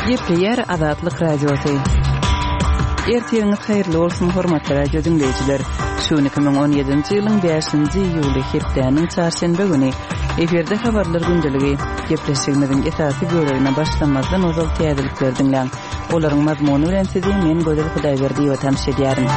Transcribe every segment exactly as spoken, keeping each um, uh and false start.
Gepleýär Azatlyk Radiosy. Ertiriňiz haýyrly bolsun, hormatly radio diňleýjiler. Şu gün iki müň on ýedinji ýylyň bäşinji iýuly, hepdäniň çarşenbe güni. Efirde habarlar gündeligi. Gepleşigimiziň esasy bölegine başlamazdan ozal täzelikleri diňläň. Olaryň mazmuny bilen sizi men Gözel Hudaýberdiýewa tanyş edýärin.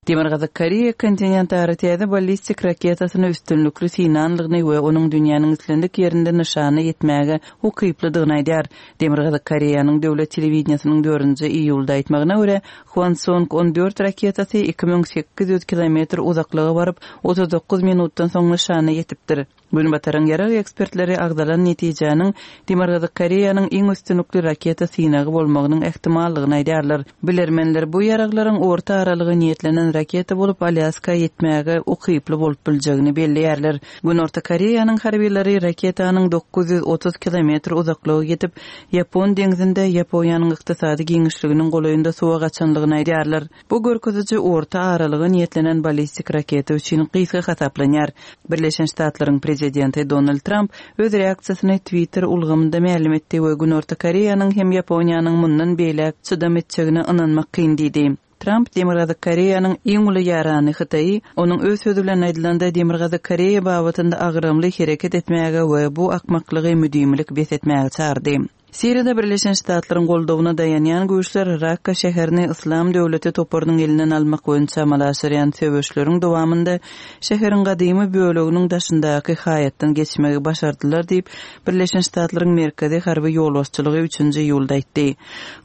Demirgazyk Koreýa kontinentara täze ballistik raketasyny üstünlikli synanlygyny we onuň dünýäniň islendik ýerinde nyşana ýetmäge ukyplydygyny aýdýar. Demirgazyk Koreýanyň döwlet telewideniýesiniň dördünji iýulda aýtmagyna görä, Hwansong on dört raketasy iki müň sekiz ýüz kilometr uzaklyga baryp, otuz dokuz minutdan soň nyşana ýetipdir. Günbataryň ýarag ekspertleri agzalan netijäniň Demirgazyk Koreýanyň iň üstünlikli raketa synagy bolmagynyň ähtimallygyny aýdýarlar. Bilermenler bu ýaraglaryň orta aralyga niýetlenen raketa bolup Alýaska ýetmäge ukyply bolup biljegini belleýärler. Günorta Koreýanyň harbylary raketanyň dokuz ýüz otuz kilometr uzaklyga ýetip, Ýapon deňzinde Ýaponiýanyň ykdysady giňişliginiň golaýynda suwa gaçanlygyny aýdýarlar. Bu görkeziji orta aralyga niýetlenen ballistik raketa üçin gysga hasaplanýar. Birleşen Ştatlaryň prezidenti Donald Tramp öz reaksiýasyny Twitter ulgamynda mälim etdi we Günorta Koreýanyň hem Ýaponiýanyň mundan beýläk çydam etjegine ynanmak kyn diýdi. Tramp Demirgazyk Koreýanyň iň uly ýarany Hytaýy, onuň öz sözi bilen aýdylanda Demirgazyk Koreýa babatynda agramly hereket etmäge we bu akmaklygy müdimilik bes etmäge çagyrdy. Siriýada Birleşen Ştatlaryň goldawyna daýanýan güýçler Rakka şäherini Yslam döwleti toparynyň elinden almak boýunça amala aşyrýan söweşleriň dowamynda şäheriň gadymy böleginiň daşyndaky haýatdan geçmegi başardylar diýip, Birleşen Ştatlaryň Merkezi harby ýolbaşçylygy üçünji iýulda aýtdy.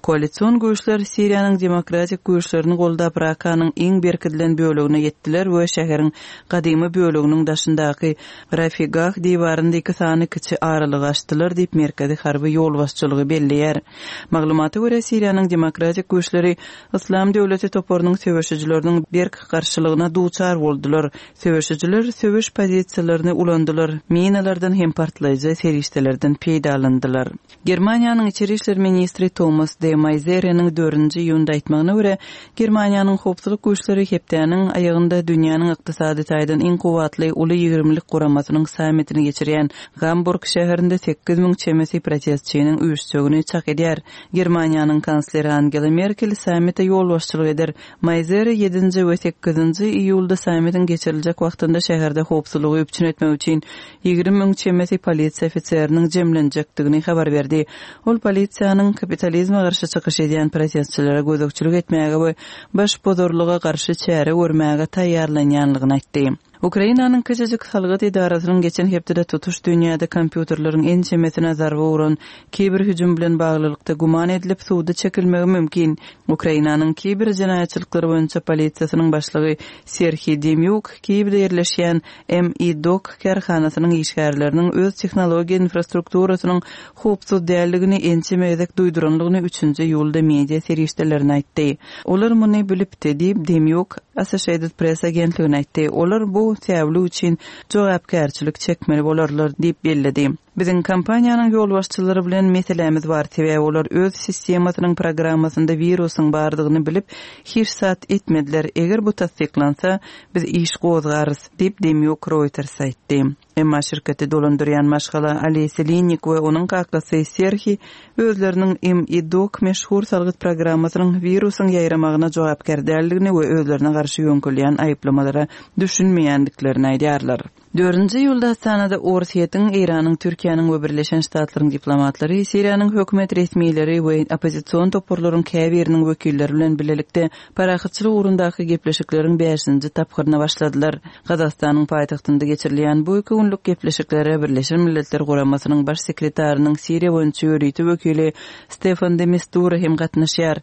Koalision güýçler Siriýanyň demokratik güýçlerini goldap Rakkanyň iň berkidilen bölegine ýetdiler we şäheriň gadymy böleginiň daşyndaky Rafigah diwarynda iki sany kiçi aralygy açdylar diýip Merkezi harby ýolbaşçylygy belleýär. Maglumata görä Siriýanyň demokratik güýçleri Yslam döwleti toparynyň söweşijileriniň berk garşylygyna duçar boldular. Söweşijiler söweş pozisiýalaryny ulandylar, minalardan hem partlaýjy serişdelerden peýdalandylar. Germaniýanyň içeri işler ministri Thomas de Maizière'niň dördünji iýunda aýtmagyna görä, Germaniýanyň howpsuzlyk güýçleri hepdäniň aýagynda dünýäniň ykdysady taýdan iň kuwwatly uly ýigrimlik guramasynyň sammitini geçirýän Hamburg şäherinde sekiz müň çemesi protestçiniň üýşjegini çak edýär. Germaniýanyň kansleri Angela Merkel sammite ýolbaşçylyk eder. Maizière ýedinji we sekizinji iýulda sammitiň geçiriljek wagtynda şäherde howpsuzlygy üpjün etmek üçin ýigrimi müň çemesi polisiýa ofiseriniň jemlenjekdigini habar berdi. Ol polisiýanyň kapitalizme garşy çykyş edýän protestçilere gözegçilik etmäge we baş bozarlyga garşy çäre görmäge taýýarlanýanlygyny aýtdy. Ukrainanyň kiçijik salgyt edarasynyň geçen hepdede tutuş dünýäde kompýuterleriň ençemesine zarba uran kiber hüjüm bilen baglylykda güman edilip suwda çekilmegi mümkin. Ukrainanyň kiber jenaýatçylyklary boýunça polisiýasynyň başlygy Serhiý Demýuk Kiýewde ýerleşýän M I D O K kärhanasynyň işgärleriniň öz tehnologiýa infrastrukturasynyň howpsuz däldigini ençeme gezek duýduranlygyny üçünji iýulda media serişdelerini aýtdy. Olar muny bilipdi diýip Demýuk Associated Press agentligine aýtdy. Olar bu säwli üçin jogapkärçilik çekmeli bolarlar diýip belledi. Biziň kompaniýanyň ýolbaşçylary bilen meselämiz bar, sebäbi olar öz sistemasynyň programmasynda wirusyň bardygyny bilip hiç zat etmediler. Eger bu tassyklansa, biz iş gozgarys diýip Demýuk Reuters aýtdy. Emma şirketi dolandyrýan maşgala Alesi Linnik we onuň kakasy Serhiý özleriniň M I D O K meşhur salgyt programmasynyň wirusyň ýaýramagyna jogapkär däldigini we özlerine garşy ýöňkülýän aýyplamalara düşünmeýändiklerini aýdýarlar. Dördünji iýulda Astanada Orsýetiň, Eýranyň, Türkiýäniň we Birleşen Ştatlaryň diplomatlary, Siriýanyň hökümet resmileri we oppozision toparlaryň käbiriniň wekilleri bilen birlikde parahatçylyk ugrundaky gepleşikleriň bäşinji tapgyryna başladylar. Gazagystanyň paýtagtynda geçirilýän bu iki günlük gepleşiklere Birleşen Milletler Guramasynyň baş sekretarynyň Siriýa boýunça ýörite wekili Stefan de Mistura hem gatnaşýar.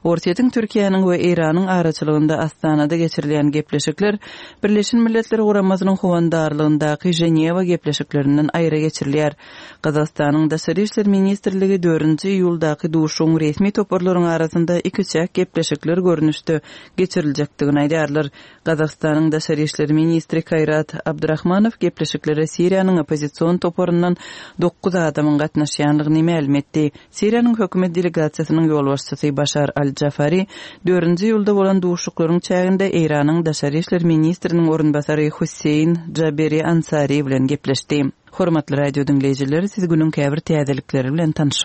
Orsýetiň, Türkiýäniň we Eýranyň araçylygynda Astanada geçirilýän gepleşikler Birleşen Milletler Guramasynyň howandarlygyndaky Ženewa gepleşiklerinden aýra geçirilýär. Gazagystanyň Daşary işler ministrligi dördünji iýuldaky duşuň resmi toparlaryň arasynda iki çäk gepleşikler görnüşde geçiriljekdigini aýdýarlar. Gazagystanyň Daşary işler ministri Kaýrat Abdurahmanow gepleşiklere Siriýanyň oppozision toparyndan dokuz adamyň gatnaşýanlygyny mälim etdi. Siriýanyň hökümet delegasiýasynyň ýolbaşçysy Başar al-Jafari dördünji iýulda bolan duşuklaryň çäginde Eýranyň Daşary işler ministriniň orunbasary Hüseýin Jaberi Ansari bilen gepleşdi. Hormatly radio diňleýjiler, siz günüň käbir täzelikleri bilen tanyş